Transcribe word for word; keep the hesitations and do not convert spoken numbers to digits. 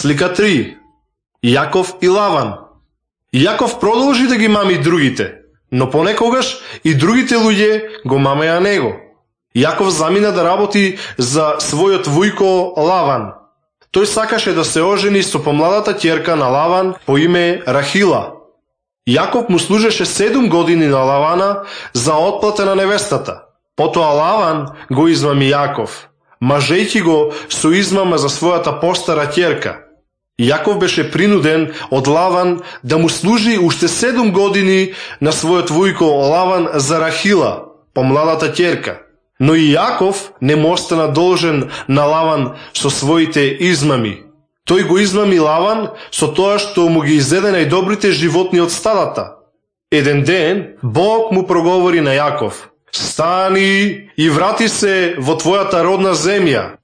Слика три. Јаков и Лаван. Јаков продолжи да ги мами другите, но понекогаш и другите луѓе го мамеа него. Јаков замина да работи за својот вујко Лаван. Тој сакаше да се ожени со помладата ќерка на Лаван по име Рахила. Јаков му служеше седум години на Лавана за отплата на невестата. Потоа Лаван го измами Јаков, мажејќи го со измама за својата постара ќерка. Јаков беше принуден од Лаван да му служи уште седум години на својот вујко Лаван за Рахила, помладата ќерка. Но и Јаков не му остана должен на Лаван со своите измами. Тој го измами Лаван со тоа што му ги изеде најдобрите животни од стадата. Еден ден Бог му проговори на Јаков: стани и врати се во твојата родна земја,